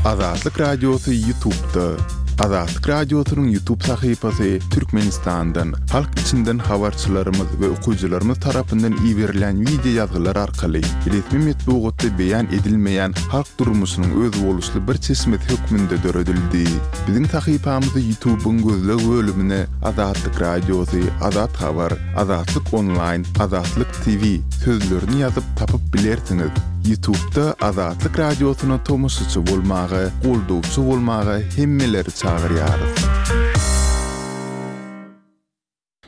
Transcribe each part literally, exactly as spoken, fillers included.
Azatlyk Radiosy YouTube'da. Azatlyk Radiosynyň YouTube sahypasy Türkmenistandan, halk içinden habarçylarymyz we okyjylarymyz tarapyndan iberilen wideo ýazgylar arkaly resmi metbugatda beýan edilmeýän halk durmuşynyň özboluşly bir çeşmesi hökmünde döredildi. Biziň sahypamyzy YouTube'yň gözleg bölümine Azatlyk Radiosy, Azat Habar, Azatlyk Online, Azatlyk T V sözlerini ýazyp tapyp bilersiňiz. YouTube'da Azatlyk Radiosyna tomaşaçy bolmaga, goldawçy bolmaga hemmeleri çagyrýarys.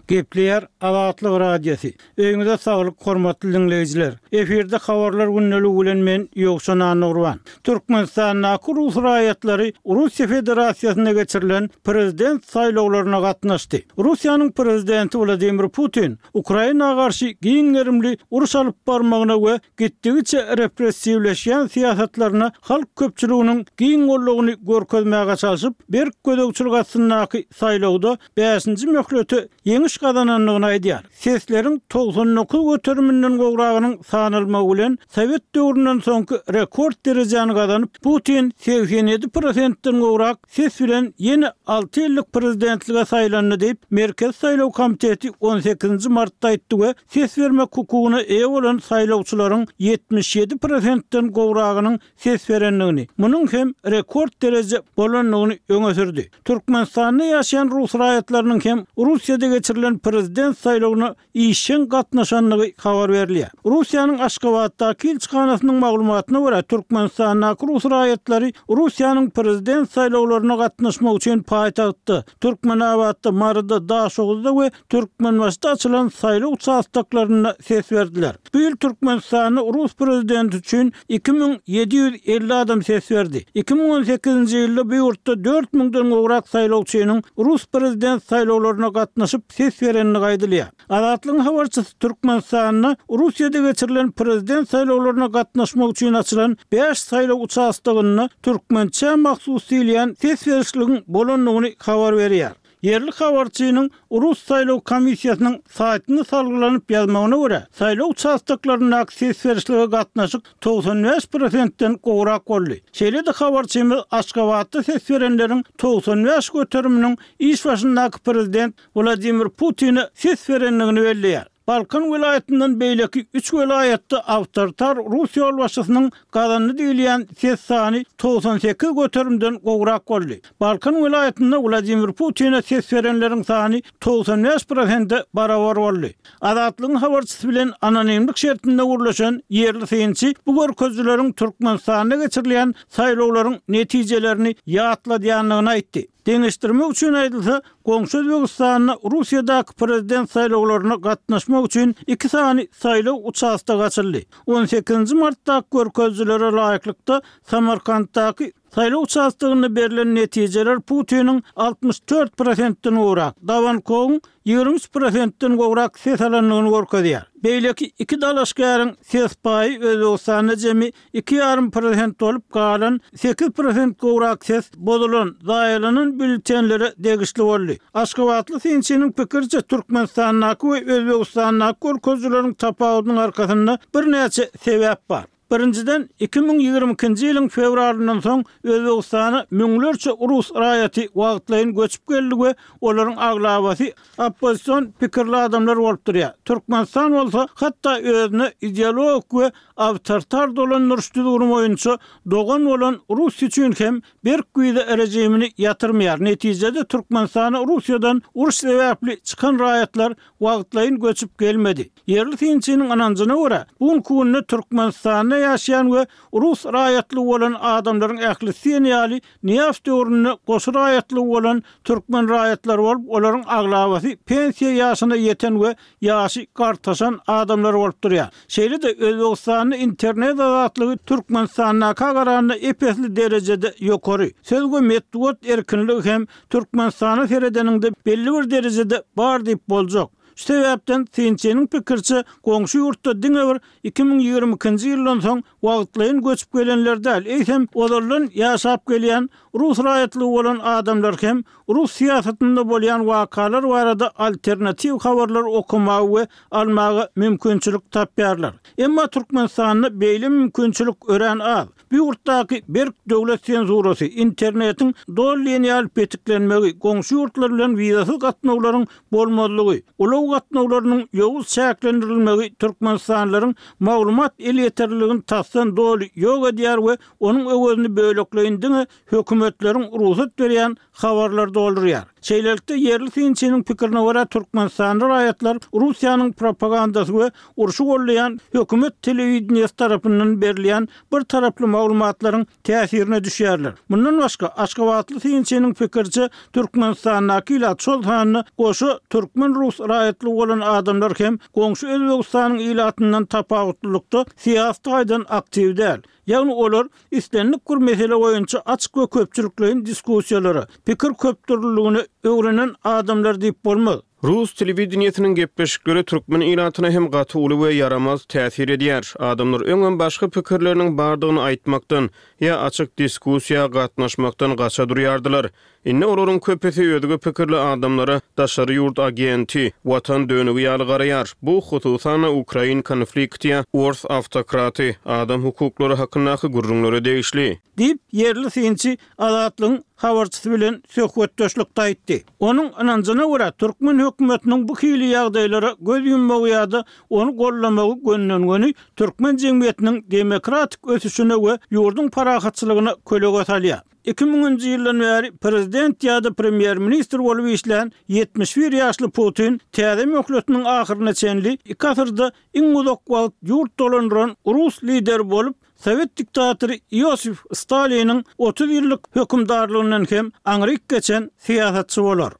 Gepleýär Azatlyk Radiosy. Öýüňize saglyk, hormatly diňleýjiler. Efirde habarlar gündeligi bilen men Ýowşan Annagurban. Türkmenistandaky rus raýatlary Russiýa Federasiýasynda geçirilen prezident saýlawlaryna gatnaşdy. Russiýanyň prezidenti Wladimir Putin Ukraina garşy giň gerimli uruş alyp barmagyna we gitdigiçe repressiwleşýän syýasatlaryna halk köpçüliginiň giň goldawyny görkezmäge çalşyp, berk gözegçilik astyndaky saýlawda bäşinji möhlete ýeňiş gazanandygyny aýdýar. Sesleriň togsan dokuz göteriminden gowragynyň sanalmagy bilen Sowet döwründen soňky rekord derejäni gazanyp, Putin segsen ýedi prosentden gowrak ses bilen ýene alty ýyllyk prezidentlige saýlandy diýip, Merkezi saýlaw komiteti on sekizinji martda aýtdy we ses bermek hukugyna eýe bolan saýlawçylaryň ýetmiş ýedi prosentden gowragynyň ses berendigini, munuň hem rekord dereje bolandygyny öňe sürdi. Türkmenistanda ýaşaýan rus raýatlarynyň hem Russiýada geçirilen prezident saýlawyna işjeň gatnaşandygy habar berilýär. Russiýanyň Aşgabatdaky ilçihanasynyň maglumatyna görä, Türkmenistandaky rus raýatlary Russiýanyň prezident saýlawlaryna gatnaşmak üçin paýtagtda, Türkmenabatda, Maryda, Daşoguzda we Türkmenbaşyda açylan saýlaw uçastoklarynda ses berdiler. Bu ýyl Türkmenistanda rus prezidenti üçin iki müň ýedi ýüz elli adam ses berdi. Iki müň on sekizinji ýylda bu ýurtda dört müňden gowrak saýlawçynyň rus prezident saýlawlaryna gatnaşyp ses berendigi aýdylýar. Azatlygyň habarçysy Türkmenistanda Russiýada geçirilen prezident saýlawlaryna gatnaşmak üçin açylan bäş saýlaw uçastogynda türkmençä mahsus diýilýän ses berişligiň bolandygyny habar berýär. Ýerli habarçynyň Rus saýlaw komissiýasynyň saýtyny salgylanyp ýazmagyna görä, saýlaw uçastoklaryndaky ses berişlige gatnaşyk togsan bäş prosentden gowrak boldy. Şeýle-de habarçymyz Aşgabatda ses berenleriň togsan bäş göteriminiň iş başyndaky prezident Wladimir Putine ses berendigini belleýär. Balkan welaýatyndan beýleki üç welaýatda awtoritar rus ýolbaşçysynyň gazandy diýilýän ses sany togsan sekiz göterimden gowrak boldy. Balkan welaýatynda Wladimir Putine ses berenleriň sany togsan bäş prosente barabar boldy. Azatlygyň habarçysy bilen anonimlik şertinde gürleşen ýerli synçy bu görkezijileriň Türkmenistanda geçirilýän saýlawlaryň netijelerini ýatladýandygyny aýtdy. Deňeşdirmek üçin aýdylsa, goňşy Özbegistanda Russiýadaky prezident saýlawlaryna gatnaşmak üçin iki sany saýlaw uçastogy açyldy. on sekizinji martdaky görkezijilere laýyklykda Samarkantdaky saýlaw uçastogynda berlen netijeler Putiniň altmyş dört prosentden gowrak, Dawankowyň ýigrimi üç prosentden gowrak ses alandygyny görkezýär. Beýleki iki dalaşgäriň ses paýy Özbegistanda jemi iki ýarym prosent bolup, galan sekiz prosent gowrak ses bozulan, zaýalanan býulletenlere degişli boldy. Aşgabatly synçynyň pikiriçe, Türkmenistandaky we Özbegistandaky görkezijileriň tapawudynyň arkasynda birnäçe sebäp bar. Birinjiden, iki müň ýigrimi ikinji ýylyň fewralyndan soň Özbegistana müňlerçe rus raýaty wagtlaýyn göçüp geldi we olaryň aglabasy oppozision pikirli adamlar bolup durýar. Türkmenistan bolsa hatda özüne ideologik we awtoritar dolandyryş düzgüni boýunça dogan bolan Russiýa üçin hem berk wiza rejimini ýatyrmaýar. Netijede Türkmenistana Russiýadan uruş sebäpli çykan raýatlar wagtlaýyn göçüp gelmedi. Ýerli synçynyň ynanjyna görä, bu günki günde Türkmenistanda ýaşaýan we rus raýatlygy bolan adamlaryň ählisi diýen ýaly Nyýazow döwründe goşy raýatlygy bolan türkmen raýatlary bolup, olaryň aglabasy pensiýa ýaşyna ýeten we ýaşy gartaşan adamlar bolup durýar. Şeýle-de Özbegistanda internet azatlygy Türkmenistandaka garanda ep-esli derejede ýokary. Söz we metbugat erkinligi hem Türkmenistana seredeniňde belli bir derejede bar diýip boljak. Şu sebäpden synçynyň pikiriçe, goňşy ýurtda diňe bir iki müň ýigrimi ikinji ýyldan soň wagtlaýyn göçüp gelenler däl, eýsem ozaldan ýaşap gelýän rus raýatlygy bolan adamlar hem rus syýasatynda bolýan wakalar barada alternatiw habarlar okamaga we almaga mümkinçilik tapýarlar. Emma Türkmenistanda beýle mümkinçilik örän az. Bu ýurtdaky berk döwlet senzurasy, internetiň doly diýen ýaly petiklenmegi, goňşy ýurtlar bilen wizasyz gatnawlaryň bolmazlygy, ulag gatnawlarynyň ýowuz çäklendirilmegi türkmenistanlylaryň maglumat elýeterliligini tasdan doly ýok edýär we onuň öwezini bölekleýin diňe hökümetleriň rugsat berýän habarlar doldurýar. Şeýlelikde, ýerli synçynyň pikirine görä, türkmenistanly raýatlar Russiýanyň propagandasy we urşy gollaýan hökümet telewideniýesi tarapyndan berilýän bir taraply maglumatlaryň täsirine düşýärler. Mundan başga, aşgabatly synçynyň pikiriçe, Türkmenistandaky ilat, şol sanda goşa türkmen-rus raýatlygy bolan adamlar hem goňşy Özbegistanyň ilatyndan tapawutlylykda syýasy taýdan aktiw däl. Ýagny olar islendik bir mesele boýunça açyk we köpçülikleýin diskussiýalara, pikir köpdürlüligine öwrenen adamlar diýip bolmaz. Rus telewideniýesiniň gepleşikleri türkmen ilatyna hem gaty uly we ýaramaz täsir edýär. Adamlar öňem başga pikirleriniň bardygyny aýtmakdan ýa açyk diskussiýa gatnaşmakdan gaça durýardylar. Indi olaryň köpüsi özge pikirli adamlara daşary ýurt agenti, watan dönügi ýaly garaýar. Bu, hususan-da, ukrain konflikti ýa ors awtokraty, adam hukuklary hakyndaky gürrüňlere degişli. Diýip, ýerli synçy Azatlygyň habarçysy bilen söhbetdeşlikde aýtdy. Onuň ynanjyna görä, türkmen hökümetiniň bu hili ýagdaýlara göz ýummagy ýa-da ony goldamagy gönden-göni türkmen jemgyýetiniň demokratik ösüşine we ýurduň parahatçylygyna kölege salýar. Iki müňünji ýyldan bäri prezident ýa-da premýer-ministr bolup işlän ýetmiş bir ýaşly Putin täze möhletiniň ahyryna çenli iki asyrda iň uzak wagt ýurt dolandyran rus lideri bolup, sowet diktatory Iosif Staliniň otuz ýyllyk hökümdarlygyndan hem aňryk geçen syýasatçy bolar.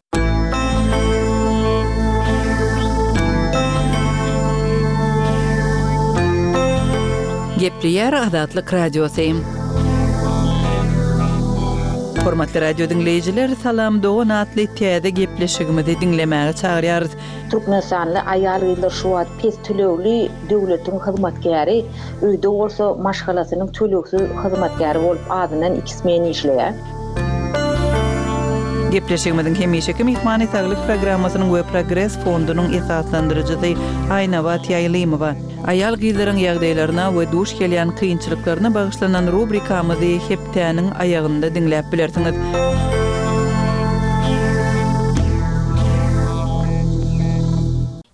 Gepleýär Azatlyk Radiosy. Hormatly radio diňleýjiler, Salam dogan atly täze gepleşigimizi diňlemäge çagyrýarys. Türkmenistanly aýal-gyzlar şu wagt pes tölegli döwletiň hyzmatkäri, öýde bolsa maşgalasynyň tölegsiz hyzmatkäri bolup azyndan iki smen işleýär. Gepleşigimiziň hemişeki myhmany saglyk programmasynyň we Progres fondunyň esaslandyryjysy Aýnabat Ýaýlymowa. Aýal gyzlaryň ýagdaýlaryna we duş gelýän kynçylyklaryna bagyşlanan rubrikamyzy hepdäniň aýagynda diňläp bilersiňiz.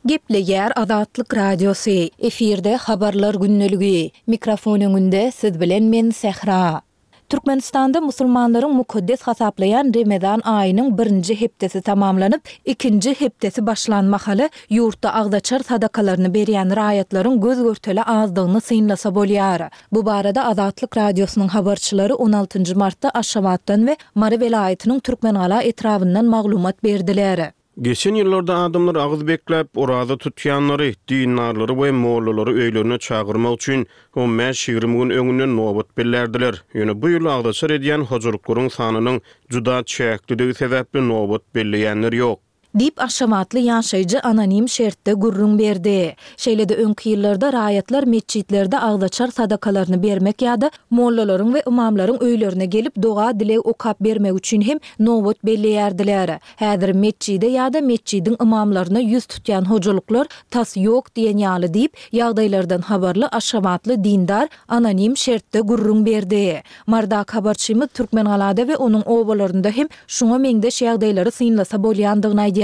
Gepleýär Azatlyk Radiosy. Efirde habarlar gündeligi. Mikrofon öňünde siz bilen men Sähra. Türkmenistanda musulmanlaryň mukaddes hasaplaýan Remezan aýynyň birinji hepdesi tamamlanyp, ikinji hepdesi başlan mahaly ýurtda agzaçar sadakalaryny berýän raýatlaryň göz görtele azdygyny synlasa bolýar. Bu barada Azatlyk Radiosynyň habarçylary on altynjy martda Aşgabatdan we Mary welaýatynyň Türkmengala etrabyndan maglumat berdiler. Geçen ýyllarda adamlar agyz bekläp, oraza tutýanlary, dindarlary we mollalary öýlerine çagyrmak üçin on bäş ýigrimi gün öňünden nobat bellärdiler. Ýöne bu ýyl agzaçar edýän hojalyklaryň sanynyň juda çäklidigi sebäpli nobat belleýänler ýok. Diýip, Aşgabatly ýaşaýjy anonim şertde gürrüň berdi. Şeýle-de öňki ýyllarda raýatlar metjitlerde agzaçar sadakalaryny bermek ýa-da mollalaryň we ymamlaryň öýlerine gelip doga-dileg okap bermek üçin hem nobat belleýärdiler. Häzir metjide ýa-da metjidiň ymamlaryna ýüz tutýan hojalyklar tas ýok diýen ýaly diýip, ýagdaýlardan habarly Aşgabatly dindar anonim şertde gürrüň berdi. Mardak habarçymyz Türkmengalada we onuň obalarynda hem şuňa meňzeş ýagdaýlary synlasa bolýandygyny aýdýar.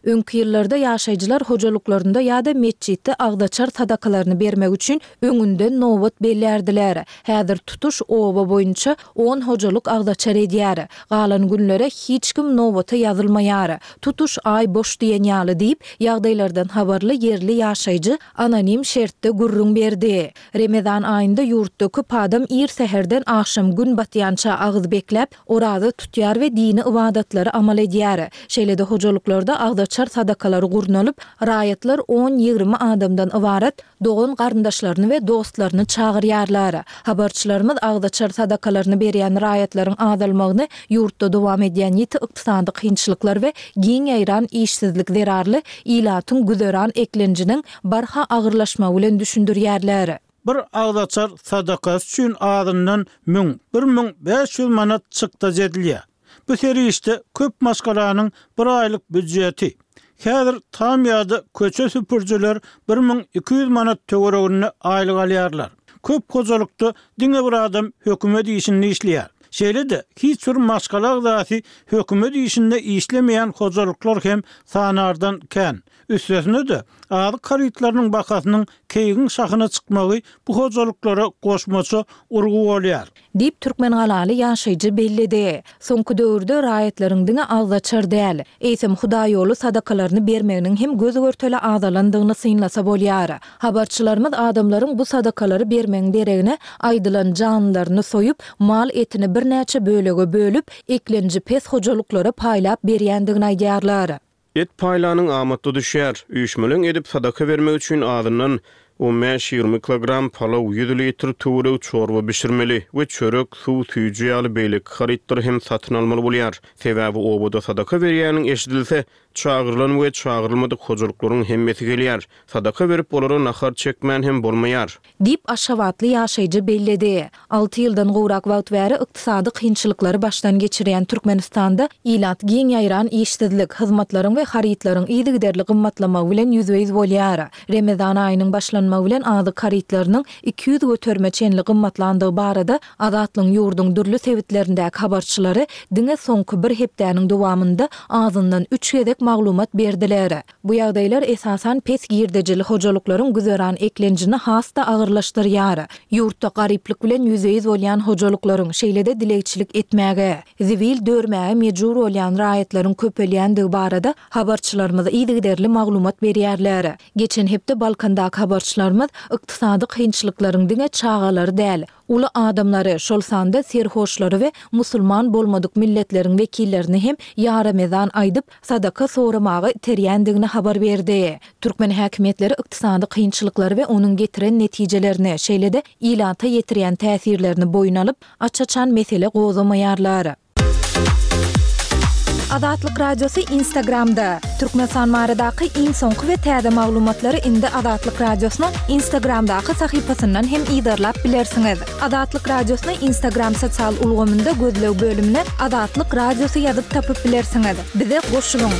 Öňki ýyllarda ýaşaýjylar hojalyklarynda ýa-da metjitde agzaçar sadakalaryny bermek üçin öňünden nobat bellärdiler. Häzir tutuş oba boýunça on hojalyk agzaçar edýär. Galan günlere hiç kim nobata ýazylmaýar. Tutuş aý boş diýen ýaly diýip, ýagdaýlardan habarly ýerli ýaşaýjy anonim şertde gürrüň berdi. Remezan aýynda ýurtda köp adam ir säherden agşam gün batýança agyz bekläp, oraza tutýar we dini ybadatlary amal edýär. Şeýle-de hojalyklarda hojalyklarda agzaçar sadakalary gurnalyp, raýatlar on-ýigrimi adamdan ybarat dogan-garyndaşlaryny we dostlaryny çagyrýarlar. Habarçylarymyz agzaçar sadakalaryny berýän raýatlaryň azalmagyny ýurtda dowam edýän ýiti ykdysady kynçylyklar we giň ýaýran işsizlik zerarly ilatyň güzeran eklenjiniň barha agyrlaşmagy bilen düşündirýärler. Bir agzaçar sadakasy üçin azyndan müň, bir müň bäş ýüz manat çykdajy edilýär. Bu serişde köp maşgalanyň bir aýlyk býujeti. Häzir tam ýa-da köçe süpürijiler bir müň iki ýüz manat töwereginde aýlyk alýarlar. Köp hojalykda diňe bir adam hökümet işinde işleýär. Şeýle-de, hiç bir maşgala agzasy hökümet işinde işlemeýän hojalyklar hem sanardan kän. Üstesine-de, azyk harytlarynyň bahasynyň keýgiň şahyna çykmagy bu hojalyklara goşmaça urgy bolýar. Diýip, türkmengalaly ýaşaýjy belledi. Soňky döwürde raýatlaryň diňe agzaçar däl, eýsem hudaýýoly sadakalaryny bermeginiň hem göz-görtele azalandygyny synlasa bolýar. Habarçylarymyz adamlaryň bu sadakalary bermegiň deregine aýdylan janlylaryny soýup, mal etini birnäçe bölege bölüp, eklenji pes hojalyklara paýlap berýändigini aýdýarlar. Et paýlanyň amatly düşýär. Üýşmeleň edip sadaka bermek üçin azyndan on bäş-ýigrimi kilogram palaw, ýüz litr töweregi çorba bişirmeli we çörek, suw, süýji ýaly beýleki harytlary hem satyn almaly bolýar. Sebäbi obada sadaka berýäniň eşidilse, çagyrylan we çagyrylmadyk hojalyklaryň hemmesi gelýär. Sadaka berip olara nahar çekmän hem bolmaýar. Diýip, aşgabatly ýaşaýjy belledi. Alty ýyldan gowrak wagt bäri ykdysady kynçylyklary başdan geçirýän Türkmenistanda ilat giň ýaýran işsizlik, hyzmatlaryň we harytlaryň yzygiderli gymmatlamagy bilen ýüzbe-ýüz bolýar. Remezan aýynyň başlanmagy bilen azyk harytlarynyň iki ýüz göterime çenli gymmatlandygy barada Azatlygyň ýurduň dürli sebitlerindäki habarçylary diňe soňky bir hepdäniň dowamynda azyndan üç gezek maglumat berdiler. Bu ýagdaýlar esasan pes girdejili hojalyklaryň güzeran eklenjini has-da agyrlaşdyrýar. Ýurtda garyplyk bilen ýüzbe-ýüz bolýan hojalyklaryň, şeýle-de dilegçilik etmäge, zibil dörmäge mejbur bolýan raýatlaryň köpelýändigi barada habarçylarymyz yzygiderli maglumat berýärler. Geçen hepde Balkandaky habarçylarymyz ykdysady kynçylyklaryň diňe çagalary däl, uly adamlary, şol sanda serhoşlary we musulman bolmadyk milletleriň wekillerini hem ýaremezan aýdyp, sadaka soramaga iterýändigini habar berdi. Türkmen häkimiýetleri ykdysady kynçylyklary we onuň getiren netijelerini, şeýle-de ilata ýetirýän täsirlerini boýun alyp, aç-açan mesele gozgamaýarlar. Azatlyk Radiosy Instagramda. Türkmenistan baradaky iň soňky we täze maglumatlary indi Azatlyk Radiosynyň Instagramdaky sahypasyndan hem yzarlap bilersiňiz. Azatlyk Radiosyny Instagram sosial ulgamynda gözleg bölümine Azatlyk Radiosy ýazyp tapyp bilersiňiz. Bize goşulyň!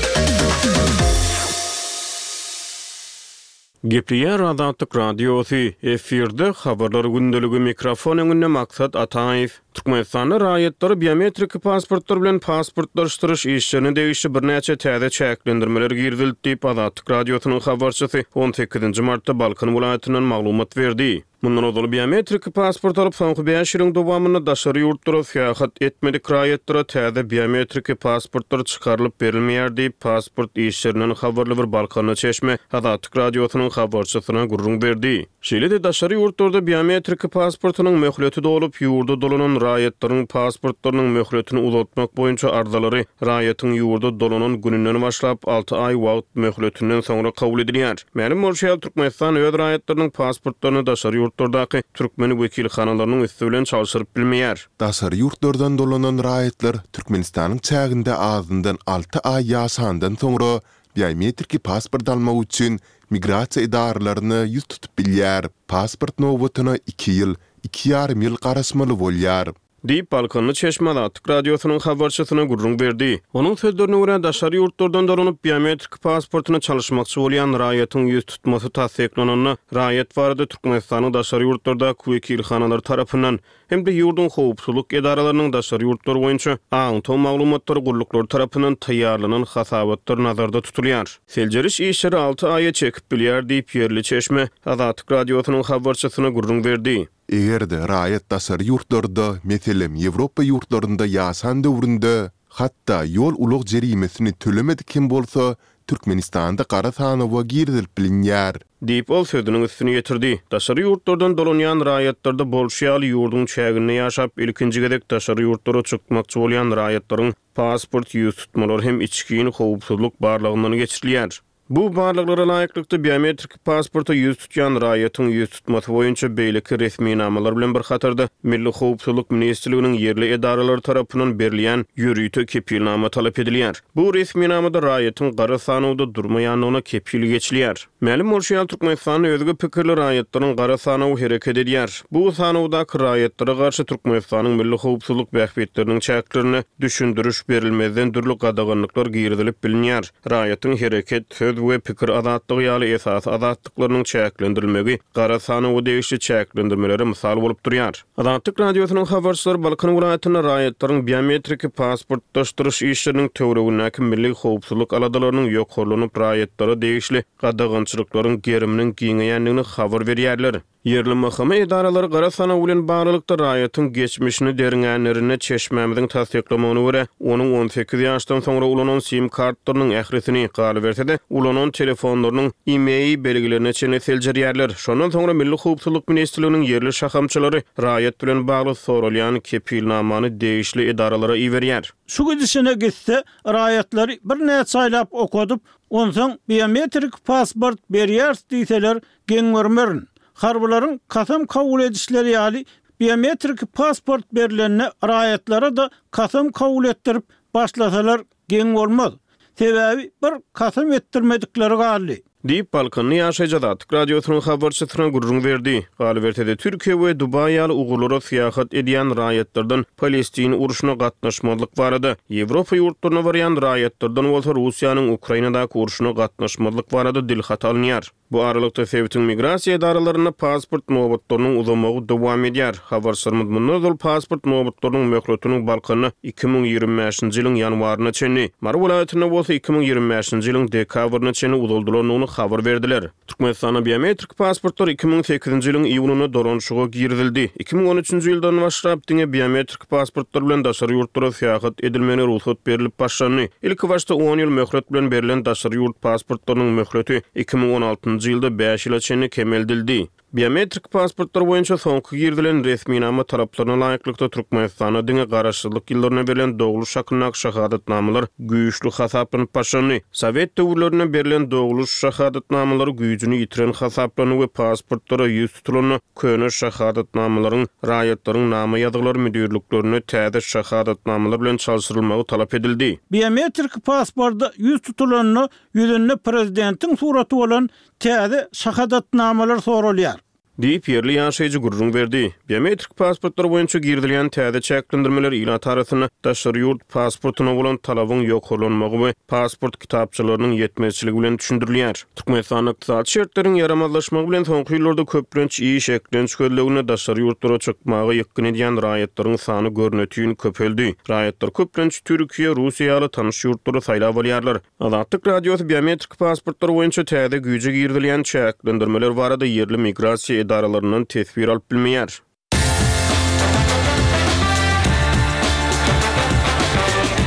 Gepleýär Azatlyk Radiosy, efirde Habarlar gündeligi, mikrofon öňünde Maksat Ataýew. Türkmenistanda raýatlary biometrik pasportlar bilen pasportlaşdyryş işlerine degişli birnäçe täze çäklendirmeler girizildi diýip, Azatlyk Radiosynyň habarçysy on sekizinji martda Balkan welaýatyndan maglumat berdi. Mundan ozal biometrik pasport alyp, soňky bäş ýylyň dowamynda daşary ýurtlara syýahat etmedik raýatlara täze biometrik pasportlar çykarylyp berilmeýär diýip, pasport işlerinden habarly bir Balkanly çeşme Azatlyk Radiosynyň habarçysyna gürrüň berdi. Şeýle-de daşary ýurtlarda biometrik pasportynyň möhleti dolup, ýurda dolanan raýatlaryň pasportlarynyň möhletini uzaltmak boýunça arzalary raýatyň ýurda dolanan gününden başlap alty aý wagt möhletinden soňra kabul edilýär. Mälim bolşy ýaly, Türkmenistan öz raýatlarynyň pasportlaryny daşary ýurtlardaky türkmen wekilhanalarynyň üsti bilen çalşyryp bilmeýär. Daşary ýurtlardan dolanan raýatlar Türkmenistanyň çäginde azyndan alty aý ýaşandan soňra biometrik pasport almak üçin migrasiýa edaralaryna ýüz tutup bilýär. Pasport nobatyna iki ýyl, iki ýarym ýyl garaşmaly bolýar. Diýip, Balkanly çeşme Azatlyk Radiosynyň habarçysyna gürrüň berdi. Onuň sözlerine görä, daşary ýurtlardan dolanyp, biometrik pasportyny çalyşmakçy bolýan raýatyň ýüz tutmasy tassyklananda, raýat barada Türkmenistanyň daşary ýurtlardaky wekilhanalary tarapyndan hem-de ýurduň howpsuzlyk edaralarynyň daşary ýurtlar boýunça aňtaw maglumatlary gulluklary tarapyndan taýýarlanan hasabatlar nazarda tutulýar. Seljeriş işleri alty aýa çekip bilýär diýip, ýerli çeşme Azatlyk Radiosynyň habarçysyna gürrüň berdi. Eger-de raýat daşary ýurtlarda, meselem, Ýewropa ýurtlarynda ýaşan döwründe, hatda ýol-ulag jerimesini tölemedik hem bolsa, Türkmenistanda gara sanawa girizilip bilinýär. Diýip, ol sözüniň üstüni ýetirdi. Daşary ýurtlardan dolanýan raýatlarda bolşy ýaly, ýurduň çäginde ýaşap, ilkinji gezek daşary ýurtlara çykmakçy bolýan raýatlaryň pasport ýüztutmalary hem içgin howpsuzlyk barlagyndan geçirilýär. Bu barlaglara laýyklykda, biometrik pasporta ýüz tutýan raýatyň ýüztutmasy boýunça beýleki resminamalar bilen bir hatarda Milli howpsuzlyk ministrliginiň ýerli edaralary tarapyndan berilýän ýörite kepilnama talap edilýär. Bu resminamada raýatyň gara sanawda durmaýandygyna kepil geçilýär. Mälim bolşy ýaly, Türkmenistanda özge pikirli raýatlaryň gara sanawy hereket edýär. Bu sanawdaky raýatlara garşy Türkmenistanyň milli howpsuzlyk bähbitleriniň çäklerinde düşündiriş berilmezden dürli gadaganlyklar girizilip bilinýär. Raýatyň hereket, söz we pikir azatlygy ýaly esasy azatlyklarynyň çäklendirilmegi gara sanawa degişli çäklendirmelere mysal bolup durýar. Azatlyk Radiosynyň habarçylary Balkan welaýatynda raýatlaryň biometriki pasportlaşdyryş işleriniň töweregindäki milli howpsuzlyk aladalarynyň ýokarlanyp, raýatlara degişli gadagançylyklaryň geriminiň giňeýändigini habar berýärler. Ýerli M H M edaralary gara sanaw bilen baglylykda raýatyň geçmişini derňänlerinde çeşmämiziň tassyklamagyna görä, onuň on sekiz ýaşdan soňra ulanan SIM kartlarynyň ählisini, galyberse-de, ulanan telefonlarynyň I M E I belgilerine çenli seljerýärler. Şondan soňra Milli howpsuzlyk ministrliginiň ýerli şahamçalary raýat bilen bagly soralýan kepilnamany degişli edaralara iberýär. Şu gidişine gitse, raýatlary birnäçe aýlap okadyp, onsoň biometrik pasport berýäris diýseler, geň görmerin. Harbylaryň kasam kabul edişleri ýaly biometrik pasport berilende raýatlara da kasam kabul etdirip başlasalar geň bolmaz. Sebäbi bir kasam etdirmedikleri galdy. Diýip, Balkanly ýaşaýjy Azatlyk Radiosynyň habarçysyna gürrüň berdi. Galyberse-de, Türkiýe we Dubaý ýaly ugurlara syýahat edýän raýatlardan Palestin urşuna gatnaşmazlyk barada, Ýewropa ýurtlaryna barýan raýatlardan bolsa Russiýanyň Ukrainadaky urşuna gatnaşmazlyk barada dilhat alynýar. Bu aralykda sebitiň migrasiýa edaralarynda pasport nobatlarynyň uzamagy dowam edýär. Habarçylarymyz mundan ozal pasport nobatlarynyň möhletiniň Balkanda iki müň ýigrimi bäşinji ýylyň ýanwaryna çenli, Mary welaýatynda bolsa iki müň ýigrimi bäşinji ýylyň dekabryna çenli uzaldylandygyny habar berdiler. Türkmenistanda biometrik pasportlar iki müň sekizinji ýylyň iýunynda dolanyşyga girizildi. Iki müň on üçünji ýyldan başlap diňe biometrik pasportlar bilen daşary ýurtlara syýahat edilmegine rugsat berilip başlandy. Ilki başda on ýyl möhlet bilen berlen daşary ýurt pasportlarynyň möhleti iki müň on altynjy ýylda bäş ýyla çenli kemeldildi. Biometrik pasportlar boýunça soňky girizilen resminama talaplaryna laýyklykda Türkmenistanda diňe garaşsyzlyk ýyllaryna berlen dogluş hakyndaky şahadatnamalar güýçli hasaplanyp başlandy. Sowet döwürlerinde berlen dogluş şahadatnamalary güýjüni ýitiren hasaplandy we pasportlara ýüz tutulanda köne şahadatnamalaryň raýatlaryň nama ýazgylary müdirliklerine täze şahadatnamalar bilen çalşyrylmagy talap edildi. Biometrik pasporta ýüz tutulanda ýüzünde prezidentiň suraty bolan täze şahadatnamalar sorulýar. Diýip, ýerli ýaşaýjy gürrüň berdi. Biometrik pasportlar boýunça girizilýän täze çäklendirmeler ilat arasynda daşary ýurt pasportuna bolan talabyň ýokarlanmagy we pasport kitapçalarynyň ýetmezçiligi bilen düşündirilýär. Türkmenistanda ykdysady şertleriň ýaramazlaşmagy bilen soňky ýyllarda köplenç iş eklenç gözleginde daşary ýurtlara çykmaga ýykgyn edýän raýatlaryň sany görnütün köpeldi. Raýatlar köplenç Türkiýe, Russiýa ýaly tanyş ýurtlary saýlap alýarlar. Azatlyk Radiosy biometrik pasportlar boýunça täze güýje girizilýän çäklendirmeler barada ýerli migrasiýa edaralaryndan teswir alyp bilmeýär.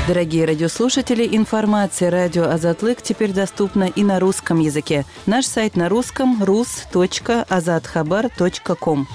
Дорогие радиослушатели, информация радио Азатлык теперь доступна и на русском языке. Наш сайт на русском рус точка азатхабар точка ком.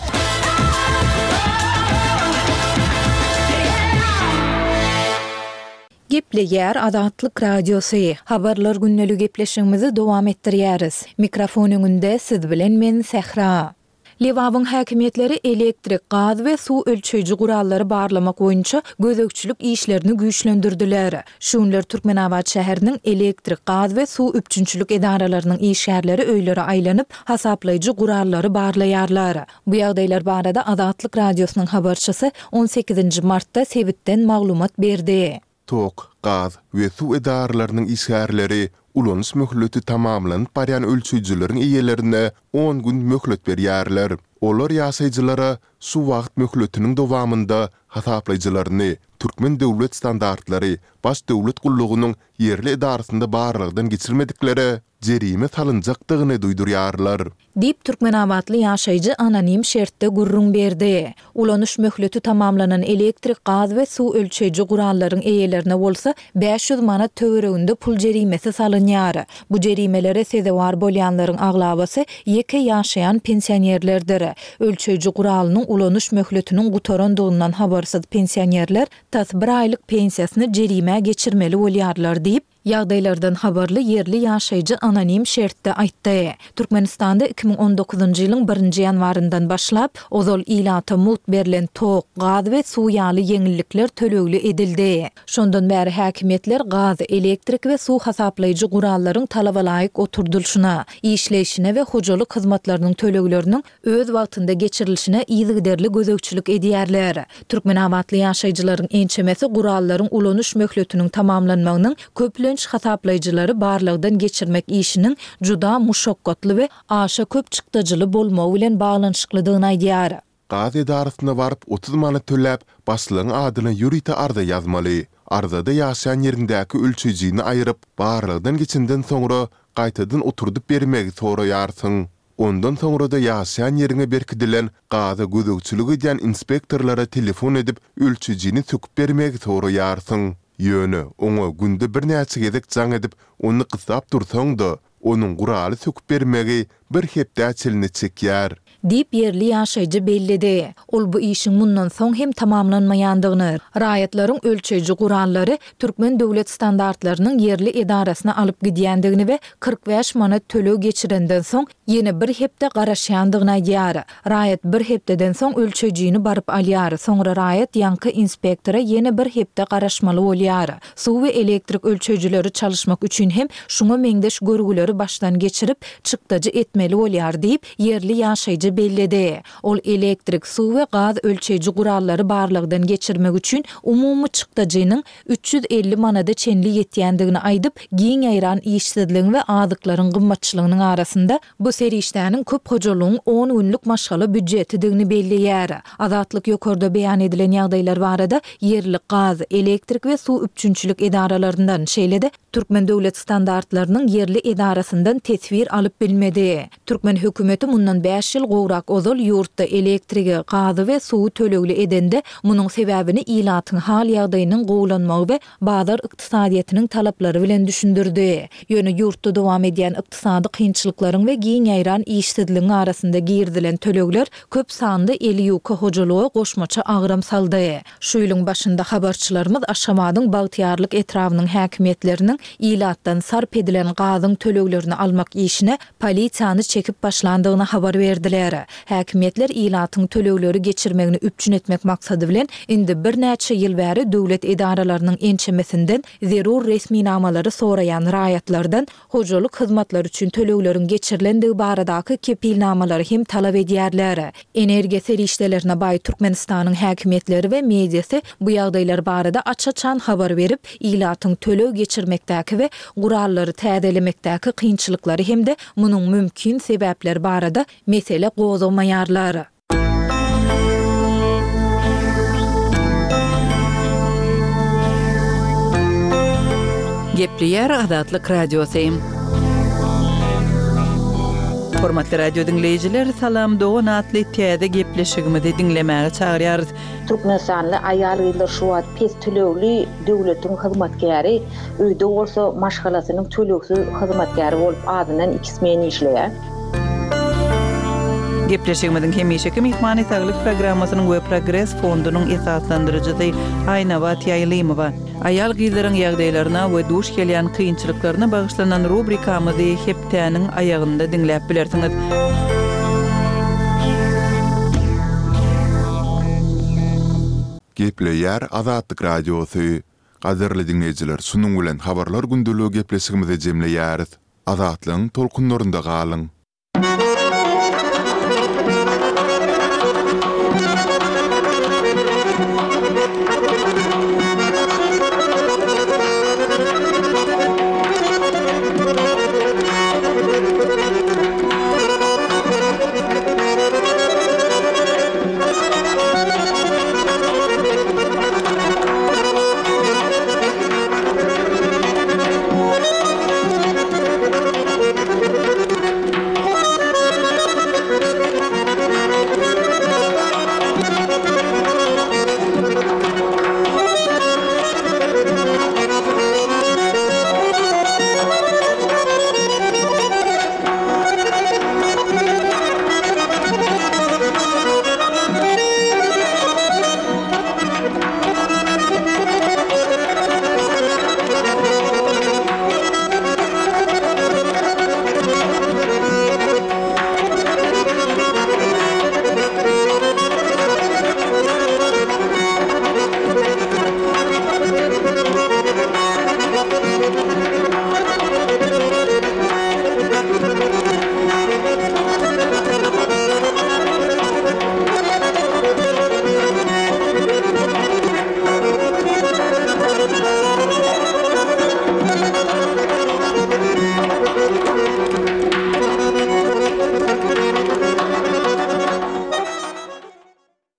Gepleýär Azatlyk Radiosy. Habarlar günlük gepleşigimizi dowam etdirýäris. Mikrofon öňünde siz bilen men Sähra. Lebabyň häkimiýetleri elektrik, gaz we suw ölçeýji gurallary barlamak boýunça gözegçilik işlerini güýçlendirdiler. Şu günler Türkmenabat şäheriniň elektrik, gaz we suw üpjünçilik edaralarynyň işgärleri öýlere aýlanyp, hasaplaýjy gurallary barlaýarlar. Bu ýagdaýlar barada Azatlyk Radiosynyň habarçysy on sekizinji martda sebitden maglumat berdi. Tok, gaz we suw edaralarynyň işgärleri ulanyş möhleti tamamlanyp barýan ölçeýjileriň eýelerine on gün möhlet berýärler. Olar ýaşaýjylara şu wagt möhletiniň dowamynda hasaplaýjylaryny Türkmen döwlet standartlary baş döwlet gullugynyň ýerli edarasynda barlagdan geçirmediklere jerime salynjakdygyny duýdurýarlar. Diýip, türkmenabatly ýaşaýjy anonim şertde gürrüň berdi. Ulanyş möhleti tamamlanan elektrik, gaz we suw ölçeýji gurallaryň eýelerine bolsa bäş ýüz manat töwereginde pul jerimesi salynýar. Bu jerimelere sezewar bolýanlaryň aglabasy ýeke ýaşaýan pensionerlerdir. Ölçeýji guralynyň ulanyş möhletiniň gutarandygyndan habarsyz pensionerler tas bir aýlyk pensiýasyny jerimä geçirmeli bolýarlar diýip, ýagdaýlardan habarly ýerli ýaşaýjy anonim şertde aýtdy. Türkmenistanda iki müň on dokuzynjy ýylyň birinji ýanwaryndan başlap, ozal ilata mugt berlen tok, gaz we suw ýaly ýeňillikler tölegli edildi. Şondan bäri häkimiýetler gaz, elektrik we suw hasaplaýjy gurallaryň talabalaýyk oturdylyşyna, işleýşine we hojalyk hyzmatlarynyň tölegleriniň öz wagtynda geçirilişine yzygiderli gözegçilik edýärler. Türkmenabatly ýaşaýjylaryň ençemesi gurallaryň ulanyş möhletiniň tamamlanmagynyň köplenç hasaplaýjylary barlagdan geçirmek işiniň juda muşakgatly we aşa köp çykdajyly bolmagy bilen baglanyşyklydygyny aýdýar. Gaz edarasyna baryp otuz manat töläp, başlygyň adyna ýörite arza ýazmaly. Arzada ýaşaýan ýeriňdäki ölçeýjini aýryp, barlagdan geçenden soňra gaýtadan oturdyp bermegi soraýarsyň. Ondan soňra-da ýaşaýan ýeriňe berkidilen gaza gözegçilik edýän inspektorlara telefon edip, ölçejini söküp bermegi soraýarsyň. Ýöne, oňa günde birnäçe gezek jaň edip, ony gyssap dursaň-da, onuň guraly söküp bermegi bir hepdä çenli çekýär. Diýip, ýerli ýaşaýjy belledi. Ol bu işiň mundan soň hem tamamlanmaýandygyny, raýatlaryň ölçeýji gurallary Türkmen döwlet standartlarynyň ýerli edarasyna alyp gidýändigini we kyrk bäş manat töleg geçirenden soň ýene bir hepde garaşýandygyny aýdýar. Raýat bir hepdeden soň ölçeýjini baryp alýar, soňra raýat ýaňky inspektora ýene bir hepde garaşmaly bolýar. Suw we elektrik ölçeýjileri çalyşmak üçin hem şuňa meňzeş görgüleri başdan geçirip, çykdajy etmeli bolýar diýip, ýerli ýaşaýjy belledi. Ol elektrik, suw we gaz ölçeýji gurallary barlagdan geçirmek üçin umumy çykdajynyň üç ýüz elli manada çenli ýetýändigini aýdyp, giň ýaýran işsizligiň we azyklaryň gymmatçylygynyň arasynda bu serişdäniň köp hojalygyň on günlük maşgala býudjetidigini belleýär. Azatlyk ýokarda beýan edilen ýagdaýlar barada ýerli gaz, elektrik we suw üpjünçilik edaralaryndan, şeýle-de Türkmen döwlet standartlarynyň ýerli edarasyndan teswir alyp bilmedi. Türkmen hökümeti mundan bäş ýyl gowrak ozal ýurtda elektrigi, gazy we suwy tölegli edende, munuň sebäbini ilatyň hal-ýagdaýynyň gowulanmagy we bazar ykdysadyýetiniň talaplary bilen düşündirdi. Ýöne ýurtda dowam edýän ykdysady kynçylyklaryň we giň ýaýran işsizligiň arasynda girizilen tölegler köp sanly eli ýuka hojalyga goşmaça agram saldy. Şu ýylyň başynda habarçylarymyz Aşgabadyň Bagtyýarlyk etrabynyň häkimiýetleriniň ilatdan sarp edilen gazyň töleglerini almak işine polisiýany çekip başlandygyny habar berdiler. Häkimiýetler ilatyň tölegleri geçirmegini üpjün etmek maksady bilen indi birnäçe ýyl bäri döwlet edaralarynyň ençemesinden zerur resminamalary soraýan raýatlardan hojalyk hyzmatlary üçin tölegleriň geçirilendigi baradaky kepilnamalary hem talap edýärler. Energiýa serişdelerine baý Türkmenistanyň häkimiýetleri we mediasy bu ýagdaýlar barada aç-açan habar berip, ilatyň töleg geçirmekdäki we gurallary täzelemekdäki kynçylyklary hem-de munuň mümkin sebäpleri barada mesele gozgamaýarlar. Gepleýär Azatlyk Radiosy. Hormatly radio diňleýjiler, Salam dogan atly täze gepleşigimizi diňlemäge çagyrýarys. Türkmenistanly aýal-gyzlar şu wagt pes tölegli döwletiň hyzmatkäri, öýde bolsa maşgalasynyň tölegsiz hyzmatkäri bolup azyndan iki smen işleýär. Gepleşigimiziň hemişeki myhmany Saglyk programmasynyň we Progres fondunyň esaslandyryjysy Aýnabat Ýaýlymowa. Aýal-gyzlaryň ýagdaýlaryna we duş gelýän kynçylyklaryna bagyşlanan rubrikamyzy hepdäniň aýagynda diňläp bilersiňiz. Gepleýär Azatlyk Radiosy. Gadyrly diňleýjiler, şunuň bilen Habarlar gündeligi gepleşigimizi jemleýäris. Azatlygyň tolkunlarynda galyň.